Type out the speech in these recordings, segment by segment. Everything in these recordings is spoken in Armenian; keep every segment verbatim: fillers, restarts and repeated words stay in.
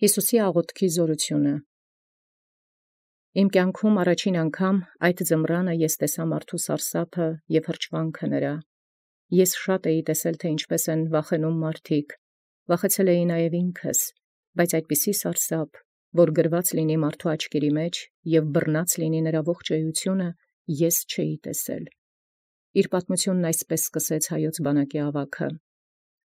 Հիսուսի աղոթքի զորությունը։ Իմ կյանքում առաջին անգամ այդ ձմռանը ես տեսա մարդու սարսափը և հրճվանքը նրա։ Ես շատ էի տեսել, թե ինչպես են վախենում մարդիկ, վախեցել էի նաև ինքս, բայց այդպիսի սարսափ, որ գրված լինի մարդու աչքերի մեջ և բռնած լինի նրա ողջ էությունը, ես չէի տեսել։ Իր պատմությունն այսպես սկսեց հայոց բանակի ավագը.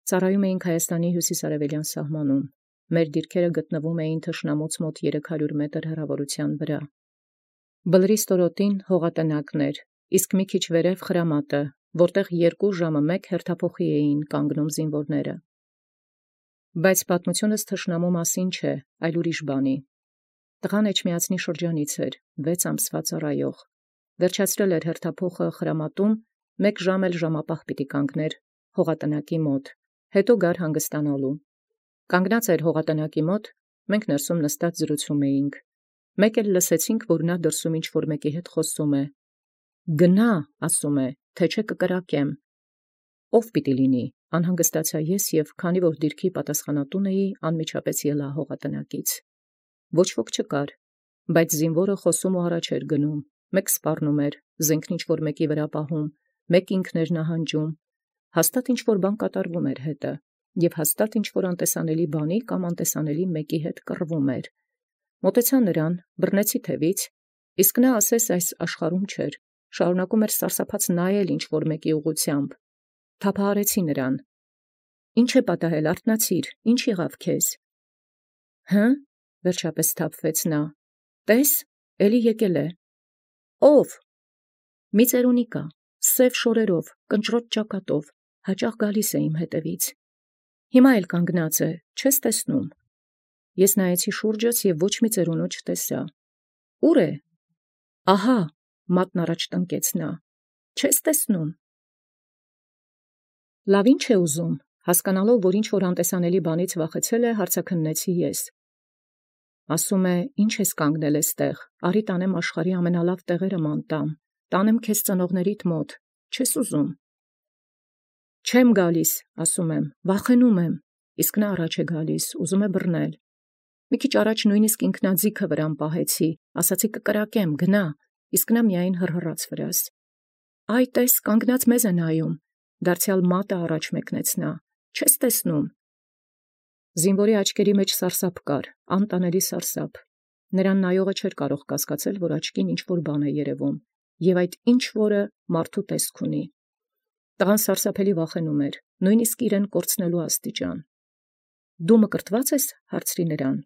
ծառայում էինք Հայաստանի հյուսիսարևելյան սահմանում։ Մեր դիրքերը գտնվում էին թշնամուց մոտ երեք հարյուր մետր հեռավորության վրա։ Բլրի ստորոտին հողատնակն էր, իսկ մի քիչ վերև խրամատը, որտեղ երկու ժամը մեկ հերթափոխի էին կանգնում զինվորները։ Բայց պատմությունս թշնամու մասին չէ, այլ ուրիշ բանի։ Տղան Էջմիածնի շրջանից էր, վեց ամսվա ծառայող։ Վերջացրել էր հերթափոխը խրամատում, մեկ ժամ էլ ժամապահ պիտի կանգներ հողատնակի մոտ, հետո գար հանգստանալու։ Կանգնած էր հողատնակի մոտ, մենք ներսում նստած զրուցում էինք։ Մեկ էլ լսեցինք, որ նա դրսում ինչ-որ մեկի հետ խոսում է։ Գնա, ասում է, թե չէ կկրակեմ։ Ով պիտի լինի, անհանգստացա ես և քանի որ դիրքի պատասխանատուն էի, անմիջապես ելա հողատնակից։ Ոչ ոք չկար, բայց զինվորը խոսում ու առաջ էր գնում, մեկ սպառնում էր, զենքն ինչ-որ մեկի վրա պահում, մեկ ինքն էր նահանջում, հաստատ ինչ-որ բան կատարվում էր հետը, և հաստատ ինչ-որ անտեսանելի բանի կամ անտեսանելի մեկի հետ կռվում էր։ Մոտեցա նրան, բռնեցի թևից, իսկ նա ասես այս աշխարհում չէր, շարունակում էր սարսափած նայել ինչ-որ մեկի ուղղությամբ։ Թափահարեցի նրան։ Ինչ է պատահել, արթնացիր, ինչ եղավ քեզ։ Հը՞, վերջապես թափվեց նա։ Տես, էլի եկել է։ Ո՞վ։ Մի ծերունի կա, սև շորերով, կնճռոտ ճակատով, հաճախ գալիս է իմ հետևից։ Հիմա էլ կանգնած է, չես տեսնում։ Ես նայեցի շուրջս և ոչ մի ծերունու չտեսա։ Ուր է։ Ահա, մատն առաջ տնկեց նա։ Չես տեսնում։ Լավ, ինչ է ուզում, հասկանալով, որ ինչ-որ անտեսանելի բանից վախեցել է, հարցաքննեցի ես։ Ասում է, ինչ ես կանգնել էստեղ, արի տանեմ աշխարհի ամենալավ տեղերը ման տամ, տանեմ քեզ ծնողներիդ մոտ, չես ուզում։ Չեմ գալիս, ասում եմ, վախենում եմ, իսկ նա առաջ է գալիս, ուզում է բռնել։ Մի քիչ առաջ նույնիսկ ինքնաձիգը վրան պահեցի, ասացի կկրակեմ, գնա, իսկ նա միայն հռհռաց վրաս։ Այ տես, կանգնած մեզ է նայում, դարձյալ մատը առաջ մեկնեց նա, չես տեսնում։ Զինվորի աչքերի մեջ սարսափ կար, անտանելի սարսափ։ Նրան նայողը չէր կարող կասկածել, որ աչքին ինչ-որ բան է երևում, և այդ ինչ-որը մարդու տեսք ունի։ Տղան սարսափելի վախենում էր, նույնիսկ իրեն կորցնելու աստիճան։ Դու մկրտված ես, հարցրի նրան։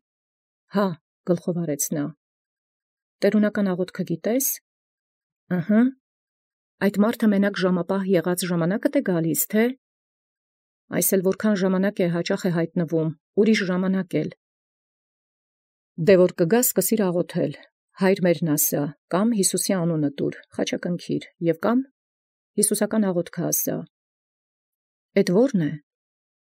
Հա, գլխով արեց նա։ Տերունական աղոթքը գիտես։ Ըհը։ Այդ մարդը մենակ ժամապահ եղած ժամանակդ է գալիս, թե։ Այս էլ որքան ժամանակ է հաճախ է հայտնվում, ուրիշ ժամանակ էլ։ Դե որ կգաս, սկսիր աղոթել, հայր մերն ասա, կամ Հիսուսի անունը տուր, խաչակնքիր, և կամ հիսուսական աղոթքը ասա։ Էդ ո՞րն է։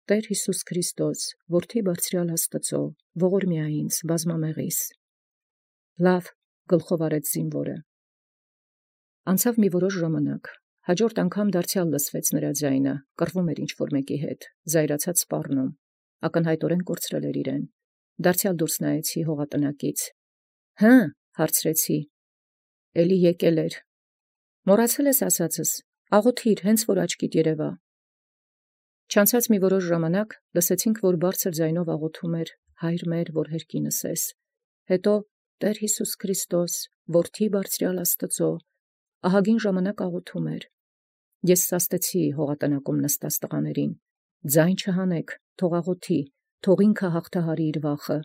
Տեր Հիսուս Քրիստոս, որդի բարձրյալ Աստծո, ողորմյա ինձ, բազմամեղիս։ Լավ, գլխով արեց զինվորը։ Անցավ մի որոշ ժամանակ, հաջորդ անգամ դարձյալ լսվեց նրա ձայնը, կռվում էր ինչ-որ մեկի հետ, զայրացած սպառնում, ակնհայտորեն կորցրել էր իրեն։ Դարձյալ դուրս նայեցի հողատնակից։ Հը, հարցրեցի։ Էլի եկել էր։ Մոռացել ես ասածս, աղոթիր, հենց որ աչքիդ երևա։ Չանցած մի որոշ ժամանակ լսեցինք, որ բարձր ձայնով աղոթում էր հայր մեր, որ հերկինս ես։ Հետո Տեր Հիսուս Քրիստոս, որդի բարձրյալ Աստծո, ահագին ժամանակ աղոթում էր։ Ես սաստեցի հողատնակում նստած տղաներին։ Ձայն չհանեք, թող աղոթի, թող ինքը հաղթահարի իր վախը,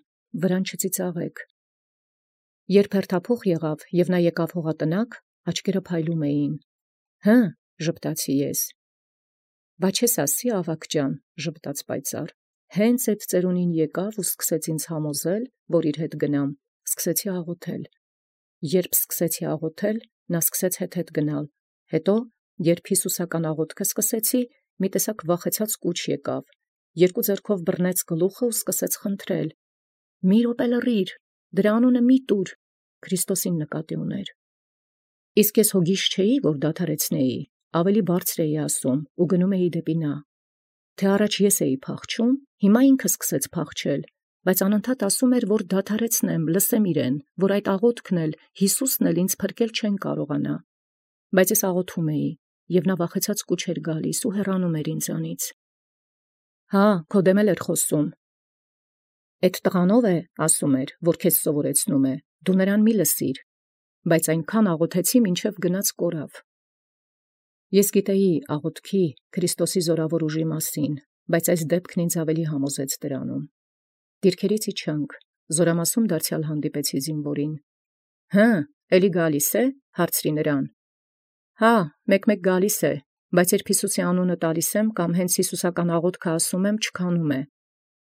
վրան չծիծաղեք։ Երբ հերթափոխ եղավ և նա եկավ հողատնակ, աչքերը փայլում էին։ Հը, ժպտացի ես։ Բա չես ասի, ավագ ջան, ժպտաց պայծառ։ Հենց այդ ծերունին եկավ ու սկսեց ինձ համոզել, որ իր հետ գնամ, սկսեցի աղոթել։ Երբ սկսեցի աղոթել, նա սկսեց հետ-հետ գնալ։ Հետո, երբ հիսուսական աղոթքը սկսեցի, մի տեսակ վախեցած կուչ եկավ։ Երկու ձեռքով բռնեց գլուխը ու սկսեց խնդրել. Մի րոպե լռիր, դրա անունը մի տուր, Քրիստոսին նկատի ուներ։ Իսկ ես հոգիս չէի, որ դադարեցնեի, ավելի բարձր էի ասում ու գնում էի դեպի նա։ Թե առաջ ես էի փախչում, հիմա ինքը սկսեց փախչել, Բայց անընդհատ ասում էր, որ դադարեցնեմ, լսեմ իրեն, որ այդ աղոթքն էլ Յիսուսն էլ ինձ փրկել չեն կարողանա։ Բայց ես աղոթում էի, եւ նա վախեցած կուչ էր գալիս ու հեռանում էր ինձանից։ Հա, քո դեմ էլ էր խոսում։ Այդ տղանով է, ասում էր, որ քեզ սովորեցնում է, դու նրան մի լսիր, բայց այնքան աղոթեցի, մինչև գնաց կորավ։ Ես գիտեի աղոթքի, Քրիստոսի զորավոր ուժի մասին, բայց այս դեպքն ինձ ավելի համոզեց դրանում։ Դիրքերից իջանք, զորամասում դարձյալ հանդիպեցի զինվորին։ Հը, էլի գալիս է, հարցրի նրան։ Հա, մեկ-մեկ գալիս է, բայց երբ Հիսուսի անունը տալիս եմ կամ հենց հիսուսական աղոթքը ասում եմ, չքանում է,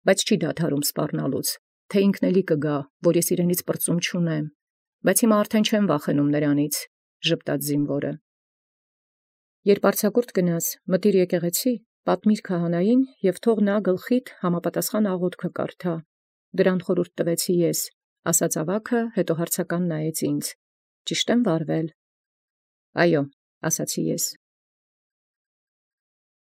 բայց չի դադարում սպառնալուց, թե ինքն էլի կգա, որ ես իրենից պրծում չունեմ, բայց հիմա արդեն չեմ վախենում նրանից, ժպտաց զինվորը։ Երբ արձակուրդ գնաց, մտիր եկեղեցի, պատմիր քահանային և թող նա գլխիդ համապատասխան աղոթքը կարդա։ Դրան խորհուրդ տվեցի ես, ասաց ավագը, հետո հարցական նայեց ինձ. Ճիշտ եմ վարվել։ Այո, ասացի ես։